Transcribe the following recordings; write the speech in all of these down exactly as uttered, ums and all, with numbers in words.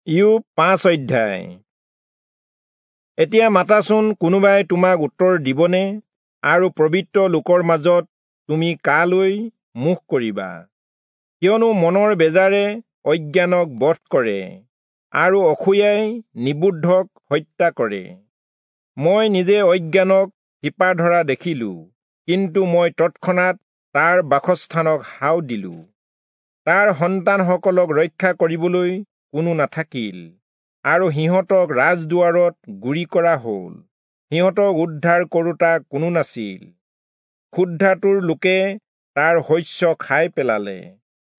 ইয়োব পাঁচ অধ্যায়। এতিয়া মাতাচোন, কোনোবাই তোমাক উত্তৰ দিবনে? আৰু পবিত্ৰ লোকৰ মাজত তুমি কালৈ মুখ কৰিবা? কিয়নো মনৰ বেজাৰে অজ্ঞানক বধ কৰে, আৰু অসূয়াই নিবুদ্ধক হত্যা কৰে। মই নিজে অজ্ঞানক শিপা ধৰা দেখিলো, কিন্তু মই তৎক্ষণাত তাৰ বাসস্থানক হাও দিলো। তাৰ সন্তানসকলক ৰক্ষা কৰিবলৈ কোনো নাথাকিল, আৰু সিহঁতক ৰাজদুৱাৰত গুৰি কৰা হ'ল, সিহঁতক উদ্ধাৰ কৰোঁতা কোনো নাছিল। ক্ষুধাতুৰ লোকে তাৰ শস্য খাই পেলালে,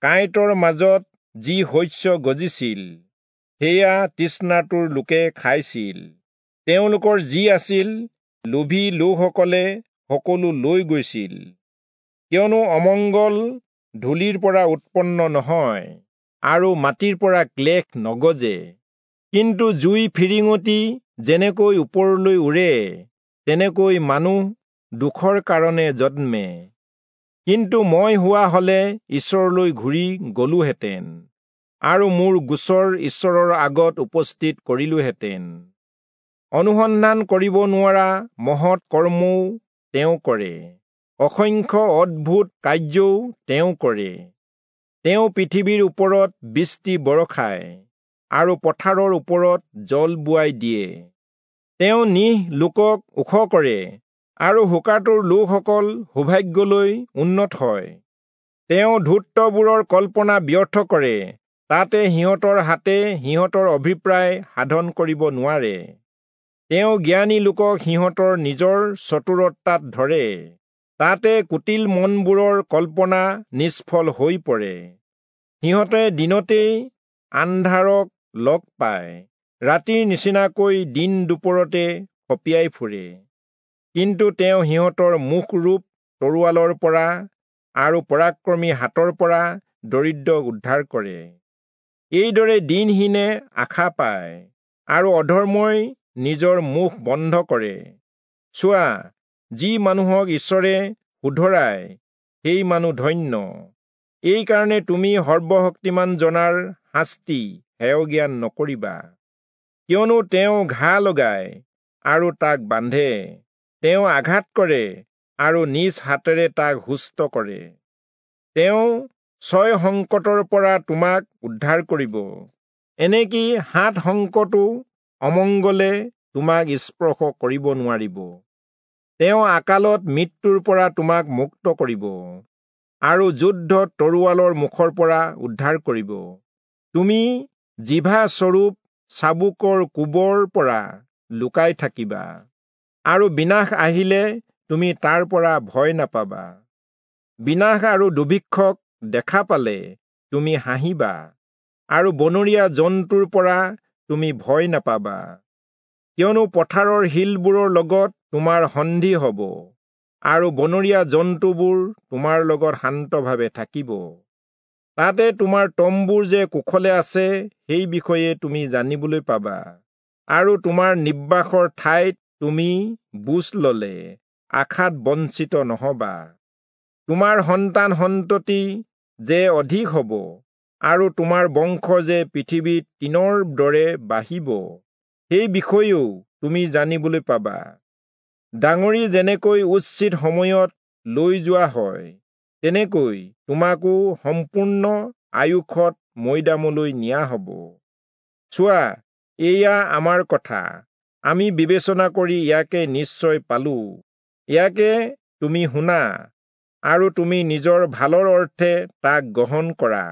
কাঁইটৰ মাজত যি শস্য গজিছিল সেয়া তৃষ্ণাতুৰ লোকে খাইছিল। তেওঁলোকৰ যি আছিল লোভী লোকসকলে সকলো লৈ গৈছিল। কিয়নো অমংগল ধূলিৰ পৰা উৎপন্ন নহয়, আৰু মাটিৰ পৰা ক্লেশ নগজে। কিন্তু জুই ফিৰিঙতি যেনেকৈ ওপৰলৈ উৰে, তেনেকৈ মানুহ দুখৰ কাৰণে জন্মে। কিন্তু মই হোৱা হলে ঈশ্বৰলৈ ঘূৰি গলোহেঁতেন, আৰু মোৰ গোচৰ ঈশ্বৰৰ আগত উপস্থিত কৰিলোহেঁতেন। অনুসন্ধান কৰিব নোৱাৰা মহৎ কৰ্মও তেওঁ কৰে, অসংখ্য অদ্ভুত কাৰ্যও তেওঁ কৰে। তেওঁ পৃথিৱীৰ ওপৰত বৃষ্টি বৰষায়, আৰু পথাৰৰ ওপৰত জল বোৱাই দিয়ে। তেওঁ নিহ লোকক ওখ কৰে, আৰু শোকাতুৰ লোকসকল সৌভাগ্যলৈ উন্নত হয়। তেওঁ ধূৰ্তবোৰৰ কল্পনা ব্যৰ্থ কৰে, তাতে সিহঁতৰ হাতে সিহঁতৰ অভিপ্ৰায় সাধন কৰিব নোৱাৰে। তেওঁ জ্ঞানী লোকক সিহঁতৰ নিজৰ চতুৰতাত ধৰে, তাতে কুটিল মনবোৰৰ কল্পনা নিষ্ফল হৈ পৰে। সিহঁতে দিনতেই আন্ধাৰক লগ পায়, ৰাতিৰ নিচিনাকৈ দিন দুপৰতে খপিয়াই ফুৰে। কিন্তু তেওঁ সিহঁতৰ মুখৰূপ তৰোৱালৰ পৰা আৰু পৰাক্ৰমী হাতৰ পৰা দৰিদ্ৰক উদ্ধাৰ কৰে। এইদৰে দীনহীনে আশা পায়, আৰু অধৰ্মই নিজৰ মুখ বন্ধ কৰে। চোৱা, যি মানুহক ঈশ্বৰে শুধৰায়, সেই মানুহ ধন্য। এইকাৰণে তুমি সৰ্বশক্তিমান জনাৰ শাস্তি হেয়জ্ঞান নকৰিবা। কিয়নো তেওঁ ঘা লগায় আৰু তাক বান্ধে, তেওঁ আঘাত কৰে আৰু নিজ হাতেৰে তাক সুস্থ কৰে। তেওঁ ছয় সংকটৰ পৰা তোমাক উদ্ধাৰ কৰিব, এনেকি সাত সংকটো অমংগলে তোমাক স্পৰ্শ কৰিব নোৱাৰিব। তেওঁ আকালত মৃত্যুৰ পৰা তোমাক মুক্ত কৰিব, আৰু যুদ্ধত তৰোৱালৰ মুখৰ পৰা উদ্ধাৰ কৰিব। তুমি জিভা স্বৰূপ চাবুকৰ কোবৰ পৰা লুকাই থাকিবা, আৰু বিনাশ আহিলে তুমি তাৰ পৰা ভয় নাপাবা। বিনাশ আৰু দুৰ্ভিক্ষক দেখা পালে তুমি হাঁহিবা, আৰু বনৰীয়া জন্তুৰ পৰা তুমি ভয় নাপাবা। কিয়নো পথাৰৰ শিলবোৰৰ লগত তোমাৰ সন্ধি হ'ব, আৰু বনৰীয়া জন্তুবোৰ তোমাৰ লগত শান্তভাৱে থাকিব। তাতে তোমাৰ তম্বুৰ যে কুশলে আছে, সেই বিষয়ে তুমি জানিবলৈ পাবা, আৰু তোমাৰ নিবাসৰ ঠাইত তুমি বুজ ললে আশাত বঞ্চিত নহবা। তোমাৰ সন্তান সন্ততি যে অধিক হ'ব, আৰু তোমাৰ বংশ যে পৃথিৱীত তৃণৰ দৰে বাঢ়িব, সেই বিষয়েও তুমি জানিবলৈ পাবা। ডাঙৰি যেনেকৈ উচিত সময়ত লৈ যোৱা হয়, তেনেকৈ তোমাকো সম্পূৰ্ণ আয়ুসত মৈদামলৈ নিয়া হ'ব। চোৱা, এয়া আমাৰ কথা, আমি বিবেচনা কৰি ইয়াকে নিশ্চয় পালো। ইয়াকে তুমি শুনা, আৰু তুমি নিজৰ ভালৰ অৰ্থে তাক গ্ৰহণ কৰা।